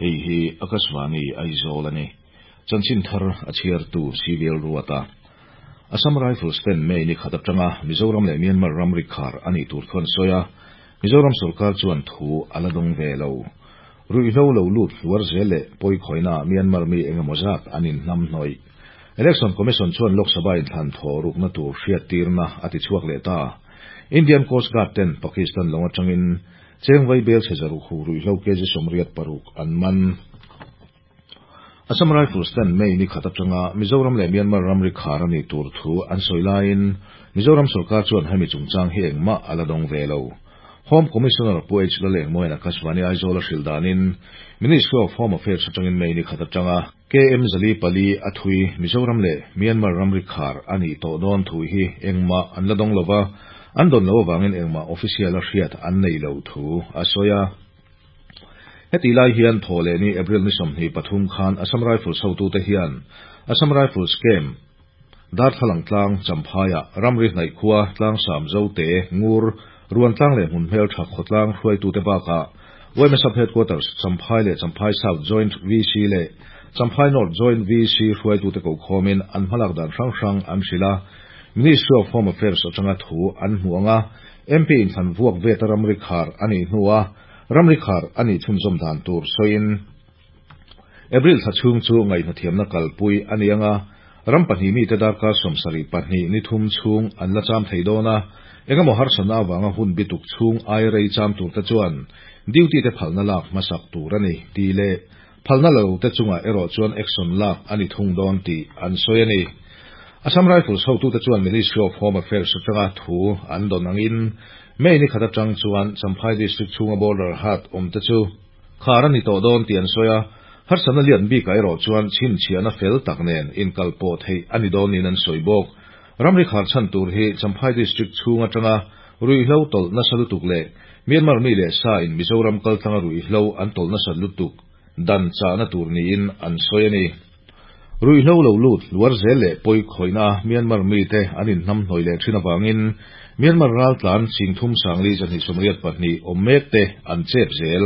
Hei hi Akashvani Aizawl a ni. Chanchin thar a chhiartu CVL Ruata. Assam Rifles ten May ni khat atanga Mizoram leh Myanmar ramri khar a nih tur thu an sawi a, Mizoram sorkar chuan thu a la dawng ve lo. Ruihhlo lo lut hluar zel leh pawikhawina Myanmar mi engemaw zat an inhnamhnawih. Election Commission chuan Lok Sabha inthlan thaw rukna tur hriattirna a ti chhuak leh ta. Indian Coast Guard ten Pakistan lawng atangin cheng vai bel chhe zaruk hu ruihhlo kg 86 an man. Assam Rifles ten May ni khat atanga Mizoram leh Myanmar ramri khar a nih tur thu an sawi laiin Mizoram sorkar chuan hemi chungchang hi engmah a la dawng ve lo. Home Commissioner Pu H. Lalengmawiin Akashvani Aizawl a hrilh danin Ministry of Home Affairs atangin May ni khat atanga KM 404 a thui Mizoram leh Myanmar ramri khar a nih tawh dawn thu hi engmah an la dawng lova, an dawn loh avangin engmah official a hriat an nei lo thu a sawi a. Heti lai hian thaw leh ni April ni 23 khan Assam Rifles hotute hian Assam Rifles Camp Darthlalang tlang Champhaiah ramri hnaih khua Tlangsam Zote Ngur Ruantlang leh hmun hmeltha khawtlang hruaitute bakah YMA Sub Headquarters Champhai leh Champhai South Joint VC leh Champhai North Joint VC hruaitute kokhawmin an hmalak dan hrang hrang an hrilh a, Ministry of Home Affairs atanga thu an hmu ang a, MP inthlan vuak veta ramri khar a nih hnua ramri khar a nih chhunzawm dan tur sawiin April thla chhung chu ngaihhnathiamna kalpui a ni ang a, ram pahnih mite darkar 72 ni thum chhung an la cham thei dawn a, engemaw harsatna avanga hun bituk chhung ai rei cham turte chuan duty te phalna lak hmasak tur a ni tih leh phalna lo te chungah erawh chuan action lak a ni thung dawn tih an sawi a ni. Assam Rifles hotute chuan Ministry of Home Affairs atanga thu an dawn angin May ni khat atang chuan Champhai District chhunga border hat awm te chu khar a ni tawh dawn tih an sawi a, harsatna lian bikah erawh chuan chhinchhiahna fel tak nen inkal pawh theih a ni dawn niin an sawi bawk. Ramri khar chhan tur hi Champhai District chhung atanga ruihhlo tawlh nasa lutuk leh Myanmar mi leh sa in Mizoram kaltlanga ruihhlo an tawlh nasat lutuk dan chahna tur niin an sawi a ni. Ruihhlo lo lut hluar zel leh pawi khawihna Myanmar mite an inhnamhnawih leh thin avangin Myanmar raltlan 3282 awm mek te an chep zel.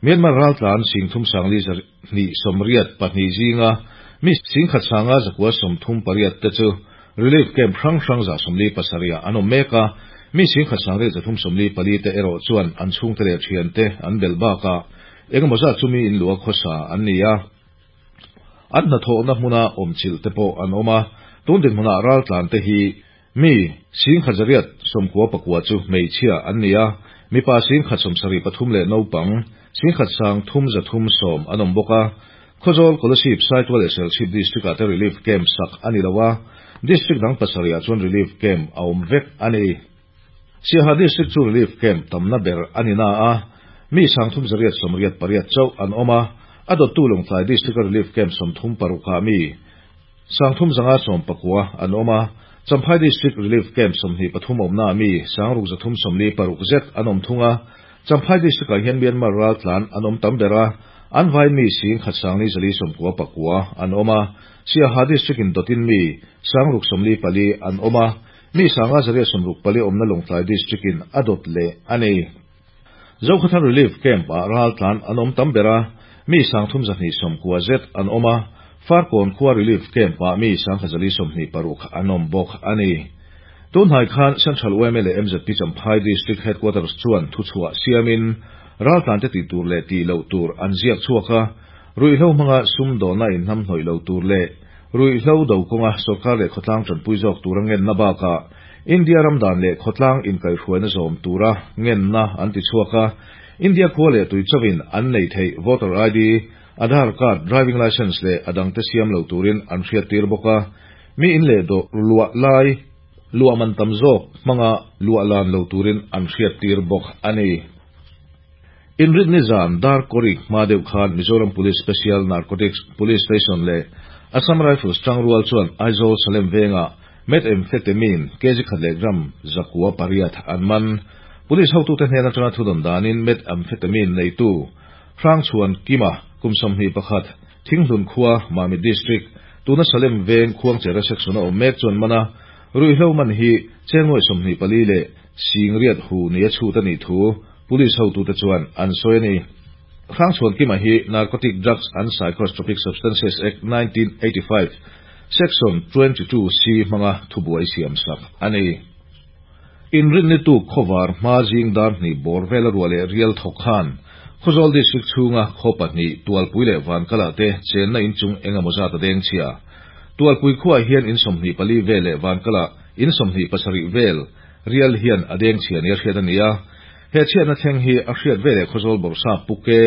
Myanmar raltlan 3282 zinga mi 1938 te chu relief camp hrang hrang 147 an awm mek a, mi 1834 te erawh chuan an chhungte leh thiante an bel bakah engemaw zat chu mi in lua khawsa an ni a. An hnathawhna hmuna awm chilh te pawh an awm a, tun dinhmunah raltlan te hi mi 1199 chu hmeichhia an ni a, mipa 1073 leh naupang 1310 an awm bawk a. Khawzawl Kolasib Saitual leh Serchhip District ah te relief camp sak a ni lo a, District dang pasarihah chuan relief camp a awm vek a ni. Siaha District chu relief camp tamna ber a ni na a, mi 3888 chauh an awm a, a dawttu Lawngtlai District a relief camp 36 ah mi 3599 an awm a, Champhai District relief camp 23 awmna ah mi 6336 zet an awm thung a, Champhai District ah hian Myanmar raltlan an awm tam ber a, an vai mi 1499 an awm a, Siaha District in dawtin mi 694 an awm a, mi 564 awmna Lawngtlai District in a dawt leh a ni. Zokhawthar Relief Camp ah raltlan an awm tam ber a, mi 3290 zet an awm a, Farkawn khua Relief Camp ah mi 1126 an awm bawk a ni. Tunhnai khan Central YMA leh MZP Champhai District Headquarters chuan thuchhuah siamin raltlan te tih tur leh tih loh tur an ziak chhuak a, ruihhlo hmanga sum dawhna inhnamhnawih lo tur leh ruihhlo do kawnga sorkar leh khawtlang tanpui zawk tura ngenna bakah India ramdan leh khawtlang inkaihhruaina zawm tura ngenna an ti chhuak a, India khua leh tui chauhin an nei theih voter ID, Aadhaar card, driving licence leh a dangte siam lo turin an hriattir bawk a, mi in leh dawh luah lai luah man tam zawk hmanga luah lan lo turin an hriattir bawk a ni. Inrit ni zan dar kawrik hma deuh khan Mizoram Police Special Narcotics Police Station leh Assam Rifles tangrual chuan Aizawl Salem vengah methamphetamine kg khat leh gram 908 an man. Police hotute hnen atanga thudawn danin methamphetamine neitu Hrangchhuan Kima kum 21 Thinghlun khua Mamit District tuna Salem veng Khuangchera section a awm mek chuan mana ruihhlo man hi chengnuai 24 leh singriat hu ni a chhut a nih thu Police hotute chuan an sawi a ni. Hrangchhuankima hi Narcotic Drugs and Psychotropic Substances Act 1985 Section 22 C hmanga thubuai siamsak a ni. Inrinni tuk khawvar hma zing dar hnih bawr vela ruah leh rial thawk khan Khawzawl District chhunga khaw pahnih Tualpui leh Vankala te chenna inchung eng emaw zat a deng chhia. Tualpui khuaah hian in 24 vel leh Vankala in 27 vel rial hian a deng chhia nia hriat a ni a. He chhiatna thleng hi a hriat veleh Khawzawl Bawrhsap Pu Ke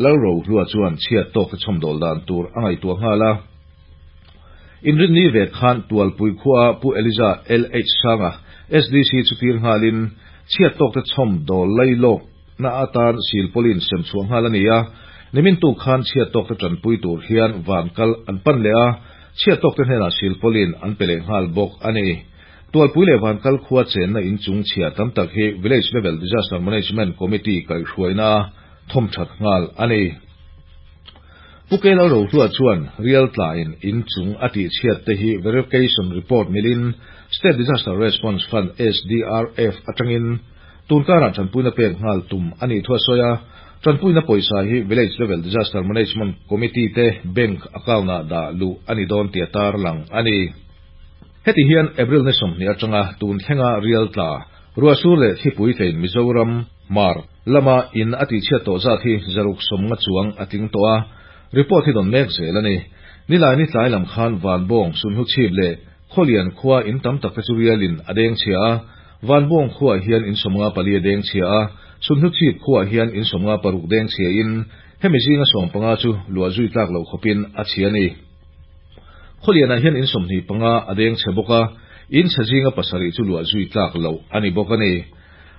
Lalrohlua chuan chhiat tawkte chhawmdawl dan tur a ngaihtuah nghal a. Inrinni ve khan Tualpui khuaa Pu Eliza LH Sanga, SDC chu tir nghalin chhiat tawkte chhawmdawl lailawkna atan silpawlin sem chhuah nghal a ni a. Nimin tuk khan chhiat tawkte tanpui tur hian van kal an pan leh a, chhiat tawkte hnenah silpawlin an pe leh nghal bawk a ni. Tualpui leh Vankal khua chenna inchung chhia tam tak hi Village Level Disaster Management Committee kaihhruaina a thawmthat nghal a ni. Pu Keilo Rohlua chuan rial tlain inchung a tihchhiat te hi verification report milin State Disaster Response Fund, SDRF, atangin tunkarah tanpuina pek nghal tum a nih thu a sawi a. Tanpuina pawisa hi Village Level Disaster Management Committee te bank account-ah dah luh a ni dawn tih a tarlang a ni. Heti hian April ni 20 atanga tun thlenga rial tla, ruahsur leh thlipui tlein Mizoram, Hmar, lama in a tihchhiat tawh zat hi 190 chuang a tling tawh a, report hi dawn mek zel a ni. Nilai ni tlai lam khan Vanbawng, Sunhluchhip leh Khawlian khua in tam tak te chu rialin a deng chhia a, Vanbawng khuaah hian in 54 a deng chhia a, Sunhluchhip khuaah hian in 56 deng chhia in hemi zinga 15 chu luah zui tlak loh khawpin a chhia a ni. Khawlianah hian in 25 a deng chhe bawk a, in chhe zinga pasarih chu luah zui tlak loh a ni bawk a ni.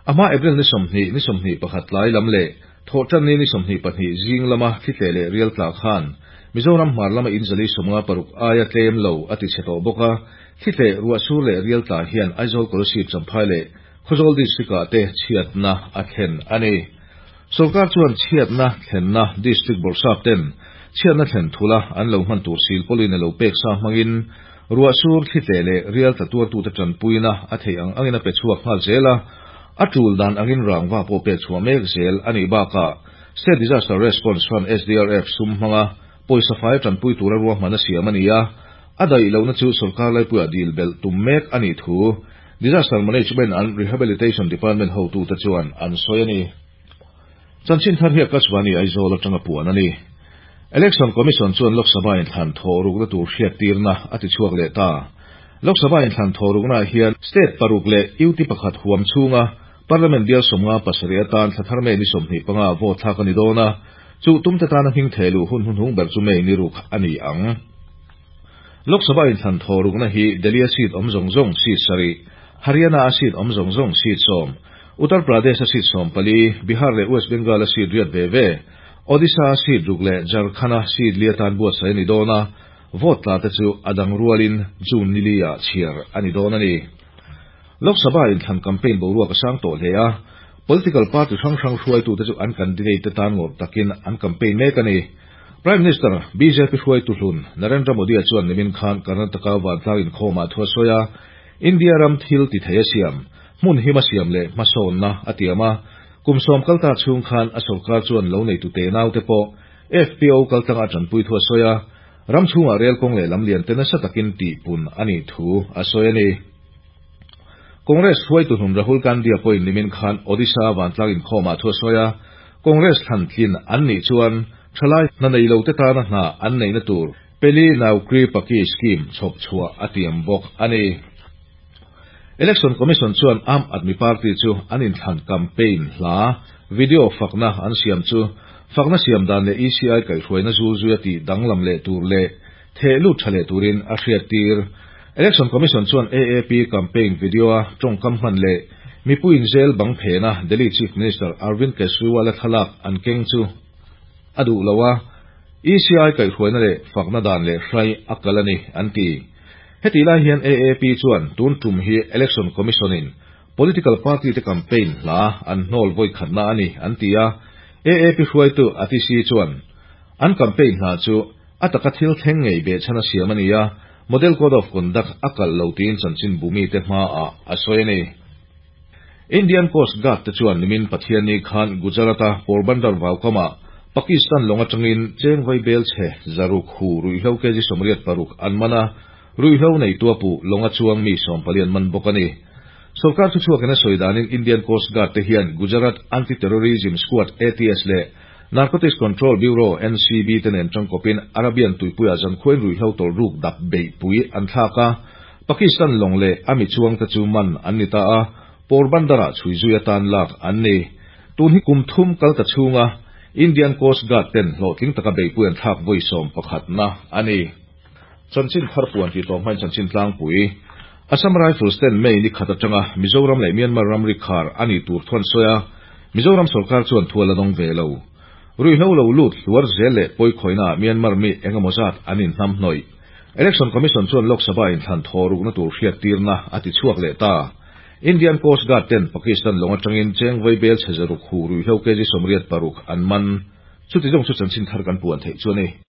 A hma April ni 20, ni 21 tlai lam leh Thawhtanni ni 22 zing lama thlitleh leh rial tla khan Mizoram hmar lama in 456 aia tlem lo a ti chhe tawh bawk a, thlitleh, ruahsur leh rial tla hian Aizawl Kolasib Champhai leh Khawzawl District-ah te chhiatna a thlen a ni. Sorkar chuan chhiatna thlenna District Bawrhsap ten chhiatna thlen thula an lo hman tur silpawlin a lo pek sa hmangin ruahsur thlitleh leh rial tla tuartute tanpuina a theih ang angin a pe chhuak nghal zel a, a tul dan angin rangva pawh pek chhuah mek zel a nih bakah State Disaster Response Fund, SDRF, sum hmanga pawisa fai tanpui tura ruahman a siam a ni a, a daih lohna chu sorkar laipuiah dil belh tum mek a nih thu Disaster Management and Rehabilitation Department hotute chuan an sawi a ni. Chanchin thar hi Akashvani Aizawl atanga puan a ni. Election Commission chuan Lok Sabha inthlan thawh rukna tur hriattirna a ti chhuak leh ta. Lok Sabha inthlan thawh ruknaah hian State paruk leh UT pakhat huam chhunga Parliament bial 57 atan thla thar May ni 25 vote thlak a ni dawn a, chu tumte tana hming theh luh hun hnuhnung ber chu May ni ruk a ni ang. Lok Sabha inthlan thawh rukna hi Delhi-a seat awm zawng zawng seat sarih, Haryana-a seat awm zawng zawng seat sawm, Uttar Pradesh-a seat 14, Bihar leh West Bengal-a seat riat ve ve, Odisha-a seat ruk leh Jharkhand-a seat li atan buatsaih a ni dawn a, vote tla te chu a dang rualin June ni li-ah chhiar a ni dawn a ni. Lok Sabha inthlan campaign boruak a sang tawh hle a, political party hrang hrang hruaitute chu an candidate te tan ngawrh takin an campaign mek a ni. Prime Minister, bjp hruaitu hlun Narendra Modi-a chuan nimin khan Karnataka vantlang inkhawmah thu a sawi a, India ram thil ti thei a siam, hmun him a siam leh hmasawnna a tiam a. Kum sawm kalta chhung khan a sorkar chuan lo neitu te naute pawh FPO kaltlanga a tanpui thu a sawi a, ram chhungah rel kawng leh lam lian te nasa takin tihpun a nih thu a sawi a ni. Congress hruaitu hnun Rahul Gandhi-a pawhin nimin khan Odisha vantlang inkhawmah thu a sawi a, Congress thlan tlin an nih chuan thalai hna nei lote tana hna an neihna tur Peli Naukri Paki scheme chhawp chhuah a tiam bawk a ni. Election Commission chuan Aam Aadmi Party chu an inthlan campaign hla video fakna an siam chu fakna siam dan leh ECI kaihhruaina zul zuia tih danglam leh tur leh theh lut tha leh turin a hriattir. Election Commission chuan AAP campaign video-a tawngkam hman leh mipuiin zel bang phena Delhi Chief Minister Arvind Kejriwal-a thlalak an keng chu a duh lo a, ECI kaihhruaina leh fakna dan leh hrai a kal a ni, an ti. Hetih lai hian AAP chuan tun tum hi Election Commission-in political party te campaign hla an hnawl vawi khatna a ni, an ti a. AAP hruaitu Atishi chuan an campaign hla chu a taka thil thleng ngei behchhan a siam a ni a, Model Code of Conduct a kalh lo tiin chanchin bumite hmaah a sawi a ni. Indian Coast Guard te chuan nimin Pathianni khan Gujarat-a Porbandar vaukamah Pakistan lawng atangin cheng vai bel chhe 600 hu ruihhlo kg 86 an man a, ruihhlo neitu a puh lawnga chuang mi 14 an man bawk a ni. Sorkar thuchhuakin a sawi danin Indian Coast Guard te hian Gujarat Anti-Terrorism Squad, ATS, leh Narcotics Control Bureau, NCB, te nen tangkawpin Arabian tuipuiah zankhuain ruihhlo tawlhruk dap beihpui an thlak a, Pakistan lawng leh a mi chuangte chu man an ni ta a, Porbandar-ah chhui zui atan lak an ni. Tun hi kum thum kal ta chhunga Indian Coast Guard ten hlawhtling taka beihpui an thlak vawi 11na a ni. Chanchin thar puan tih tawh hmain chanchin tlangpui. Assam Rifles ten May ni khat atanga Mizoram leh Myanmar ramri khar a nih tur thu an sawi a, Mizoram sorkar chuan thu a la dawng ve lo. Ruihhlo lo lut hluar zel leh pawikhawihnaah Myanmar mi engemaw zat an inhnamhnawih. Election Commission chuan Lok Sabha inthlan thaw rukna tur hriattirna a ti chhuak leh ta. Indian Coast Guard ten Pakistan lawng atangin cheng vawi bel chhe 600 hu ruihhlo kg 86 an man. Chuti zawng chu chanchin thar kan puan theih chu a ni.